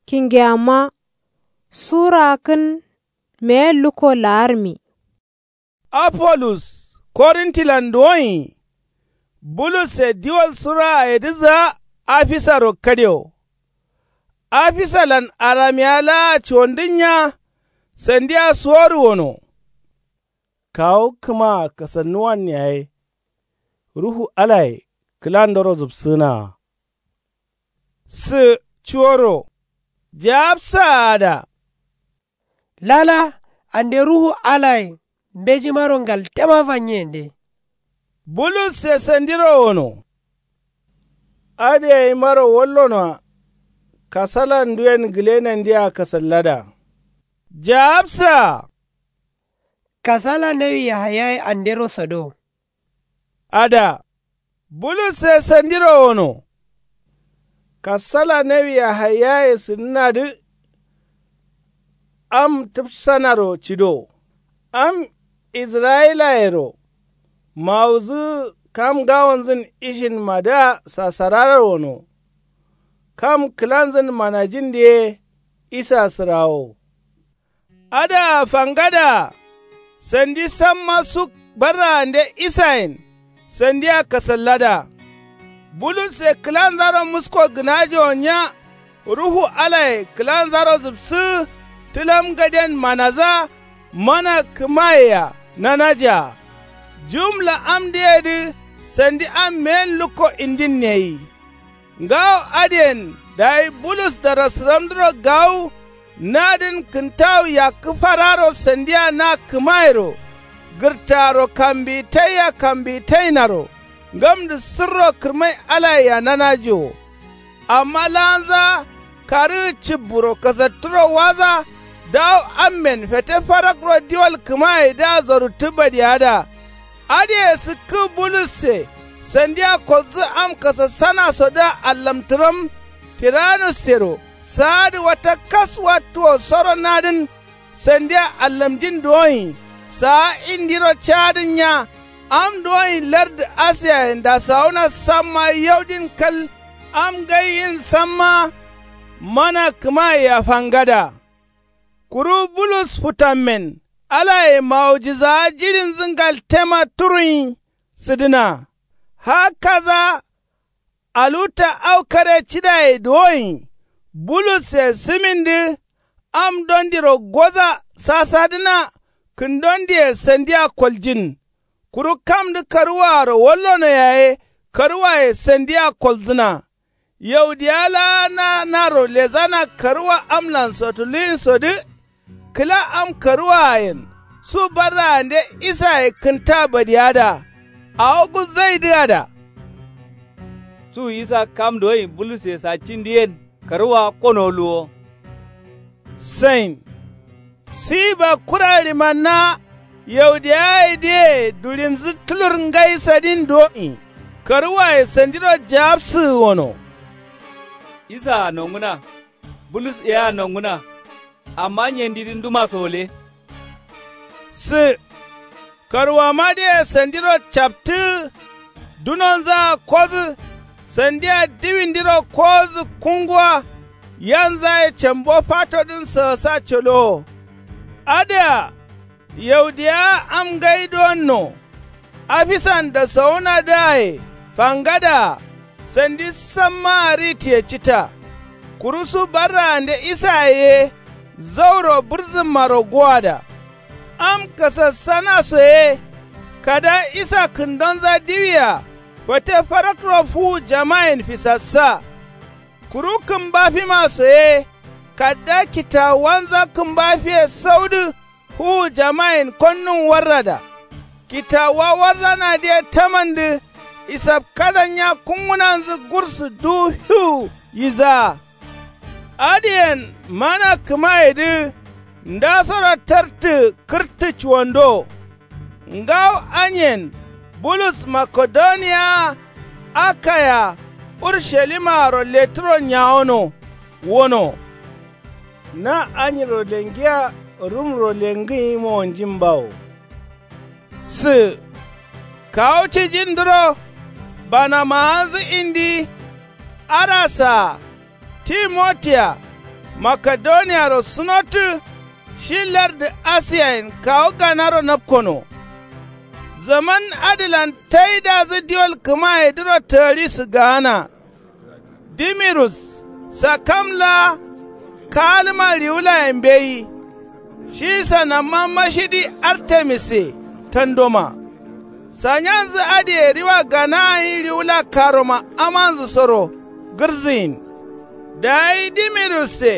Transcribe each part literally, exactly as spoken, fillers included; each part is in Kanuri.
Kingeyamma. Su raakkǝn meyen lukko laarmi. Apolus korintilan duwoin. Bulusse diwal sura ayedǝ zǝa afisaro kadio. Afisalan aramiya laa cuwondǝnnya. Sandiya suworu wono. Kawu kǝmaa kasannuwan yaye. Ruhu alaye kǝlandoro zǝbsǝnaa. Sǝ cuworo. Jaabsaa ada. Lala ande ruhu alaye mbejimaro ngaltema fanyiyende. Bulusse sandiro wono. Adǝ yaimaro wallonoa. Kasalan nduyen gǝlenandia kasallada. Jaabsaa. Kasala nawi yahayaye andero sado. Ada. Bulusse sandiro wono. Kasala nawi yahayaye sǝdǝnadǝ. Am tǝfsanaro cido. Am israyilayero. Mawudǝ kam ngawonzǝn ishinmadǝa sasararo wono. Kam kǝlanzǝn manajindǝ ye isa sǝrawo. Adǝa fangada. Sandi samma su barraande isayen. Sandia kasallada. Bulusse kǝlanzaro musko gǝnajowo nya. Ruhu alaye kǝlanzaro zǝbsǝ. Tǝlam gaden manadǝa. Mana kǝmayea nanajaa. Jumla amdǝyedǝ. Sandi am meyen lukko indin neyi. Ngawo adǝyen dayi bulus darasǝramdǝro gawu. Nadǝn kǝntawu yakkǝ fararo sandia na kǝmayero. Gǝrtaaro kambiyi taiya kambiyi tainaro. Ngamdǝ sǝrro kǝrmai alayea nanajowo. Amma laanza karǝgǝ cibburo kasattǝro waza. Dawu ammen fete farakro diwal kǝmayedǝa zoruttǝ badiyada. Adǝye sǝkkǝ bulusse. Sandia kolzǝ am kasassanasodǝa allamtǝram. Tiranussero saadǝ wata kas wattuwo soro nadǝn. Sandia allamjin duwoin saa indiro caadǝn nya. Am duwoin lardǝ asiyayen dasawuna samma yaudin kal. Am ngai yin samma. Mana kǝmayea fangada. Kuru bulus futammen alaye mawujizawa jiɍinzǝ ngaltema turuin. Sǝdǝna. Hakkaza. Aluta au kare cidaye duwoin. Bulusse sǝmindǝ. Am dondiro goza sasadǝna. Kǝndondiye sandia koljin. Kuru kamdǝ karuwaaro wallono yaye karuwaye sandia kolzǝna. Yaudiya laa nanaro lezana karuwa amlan sotuluwinsodǝ. Kǝla am karuwaayen su barraande isaye kǝnta badiyada. Awo gulzaidǝ ada. Su isa kam doyin bulusse saccindǝyen karuwa kono luwo. Sain. Siba kura ɍimanna. Yaudiyayedǝye duɍinzǝ tulur ngai sadin do'in. Karuwaye sandiro jaabsǝgǝ wono. Isaa nongǝna. Bulus yea nongǝna. Amma nyendidǝ nduma sole. Sǝ. Karuwamadǝye sandiro captǝ. Dunonzaa kodǝ. Sandia diwindiro kowodǝ kunguwa. Yanzaye cambo fatodǝn sǝgǝsa colowo. Adǝa. Yaudiyawa am ngai duwonno. Afisan dasawunadǝaye fangadaa. Sandi sammaa ritǝye cita. Kuru su barraande isaye ye. Zauro bǝrzǝmmaro gowada. Am kasassanaso ye. Kada isa kǝndonza diwia. Fate farakro fuwu jamayen fisassa. Kuru kǝmbafimaso ye. Kadda kitawuwanza kǝmbafiye saudǝ. Fuwu jamayen konnun warrada. Kitawuwa warranadǝye tamandǝ. Isapkada nya kungǝnanzǝ gursǝ duwu fiwu yisaa. Adǝyen mana kǝmayedǝ. Ndasoro tartǝ kǝrtǝ cuwando. Ngawo anyen bulus makedoniya. Akaya urshalimaro letǝro nyawono. Wono. Na anyiro lengiya rumro lengǝnyi mowonjimbawo. Sǝ. Kawu cijindǝro. Banamawanzǝ indi. Arasaa. Timotiya. Makedoniyaro sunottǝ. Shi lardu asiyayen kawu ganaro napkono. Zaman adǝlan taidazǝ diwol kǝmayedǝro tǝgari sǝgaana. Dimirus sakam laa kaalǝma riwulaye mbeyi. Shi sanamma mashidi artemise tandoma. Sanyanzǝ adǝye riwa gana gǝnyi riwula karoma amanzǝ soro gǝrziyin. Dayi dimirusse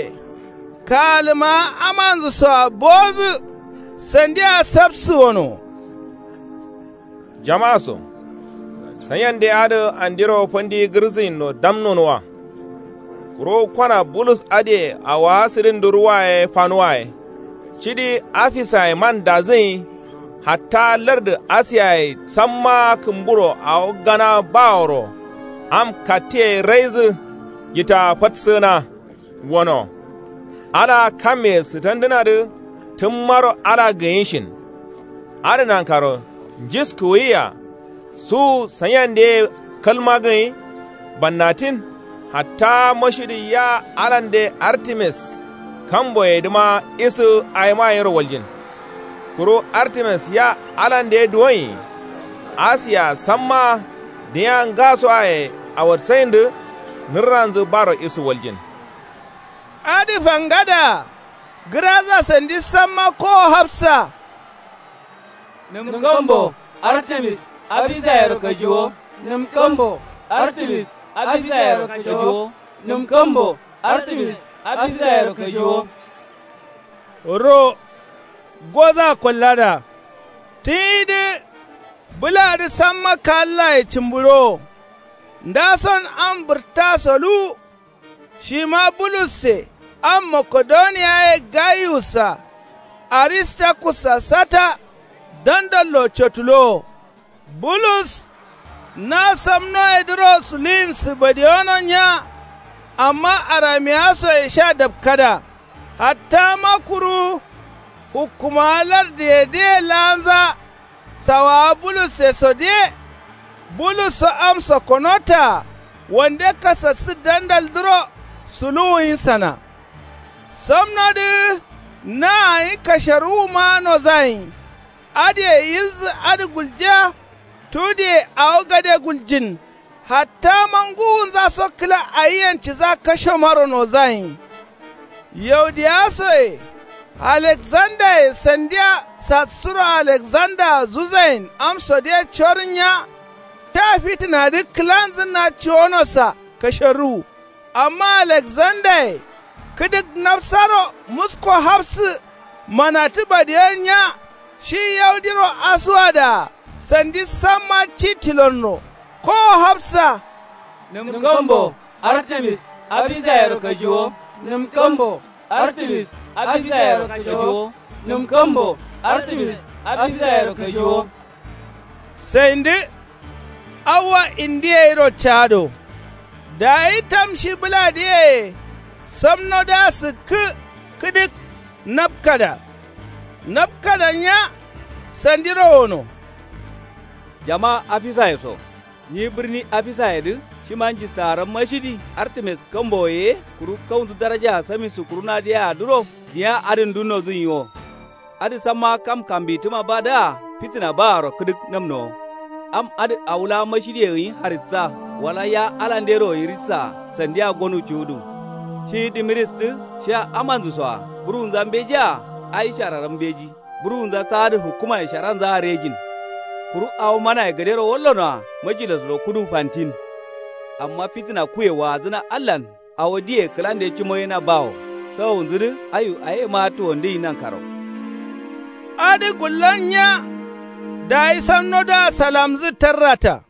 kaalǝmaa amanzǝ soa bowozǝ. Sandia sapsǝ wono. Jama'a so sanyande adǝ andiro fandi gǝrziyin no damnon wa. Kuro kwana bulus adǝye awowa sǝdin duruwa ye fanuwa ye. Cidi afisaye man dazǝnyi. Hatta lardǝ asiyaye samma kǝmburo awo gana baworo am kattiye raizǝ. Yita fatsǝna wono. Ala kamme sǝtandǝnadǝ tǝmmaro ala gǝnyishin. Adǝ nankaro njiskuwuyiya. Su sanyandeye kalma gǝnyi. Bannatin hatta mashidi ya alande artemis kamboyedǝma isǝ awima yero waljin. Kuru artemis ya alande duwonyi. Asiya samma dinya ngasoaye awatsayindǝ. Nǝrranzǝ baro isǝ waljin. Adǝ fangada gǝraza sandi samma kowo hafsa. Nǝm kambo artemis afisayero kajiwo. Nǝm kambo artemis afisayero kajiwo. Nǝm kambo artemis afisayero kajiwo. Ro goza kollada. Tǝnyidǝ bǝladǝ samma kallaye cǝmbǝrowo. Ndason am bǝrtta soluwu. Shima bulusse am makedoniya ye gayusa aristakussa sata dandallo cotulowo. Bulus na samnoyedǝro suluyin sǝbadiyono nya. Amma aramiyasoye sha dapkada. Hatta ma kuru hukkumawa lardǝyedǝye laanza. Sawawa bulusse sodiye. Bulusso am sokonotaa wande kasassǝ dandaldǝro suluwuyinsana. Samnodǝ na gǝnyi kasharuwuma nozayin. Adǝye yilzǝ adǝ guljiya. Tudiye awo gade guljin. Hatta ma ngǝwunza so kǝla ayiyen ciza kashomaro nozayin. Yaudiyasoye alekzandaye sandiya sassuro alekzanda zuzayin am sodiye corǝnya. Ta fitǝnadǝ kǝlanzǝnna ciwonosa kasharuwu. Amma alekzandaye kǝdǝk nafsaro musko hafsǝ manatǝ badiyo nya. Shi yaudiro asuwadaa sandi samma ci tilonno. Kowo hafsa. Nǝm kambo artemis afisayero kajiwo. Nǝm kambo artemis afisayero kajiwo. Nǝm kambo artemis afisayero kajiwo. Saindǝ awwa indi gairo cado. Dayi tam shi bǝladǝ yeye samnodǝa sǝkkǝ kǝdǝk. Napkada napkada nya. Sandiro wono. Jama afisaye so nyi bǝrni afisayedǝ shima njistaram mashidi artemis kamboye ye. Kuru kaunzǝ darajaa samisu kurunadǝ yea duro dinya adǝn dunnozǝ nyi wo. Adǝ samma kam kambittǝma badǝa fitǝna baaro kǝdǝk namnowo. Am adǝ awo laa mashidiye gǝnyi haritsa wala ya alandero yiritsaa sandiya gonu cuwudu. Shi dimiristǝ shiya amanzǝsoa buruwunza mbejea. Ai shararam mbeji buruwunza saadǝ hukkumaye sharanzaa rejin. Kuru awo manaye gadero wallonoa majilasro kudu fantin. Amma fitǝna kuye waadzǝna allan awo diye kǝlande cimoyena bawo. Sawowunzǝdǝ ayu ayema tuwondǝyi nankaro. Adǝ gullon nya. Dayi samnodǝa salamzǝ tarrata.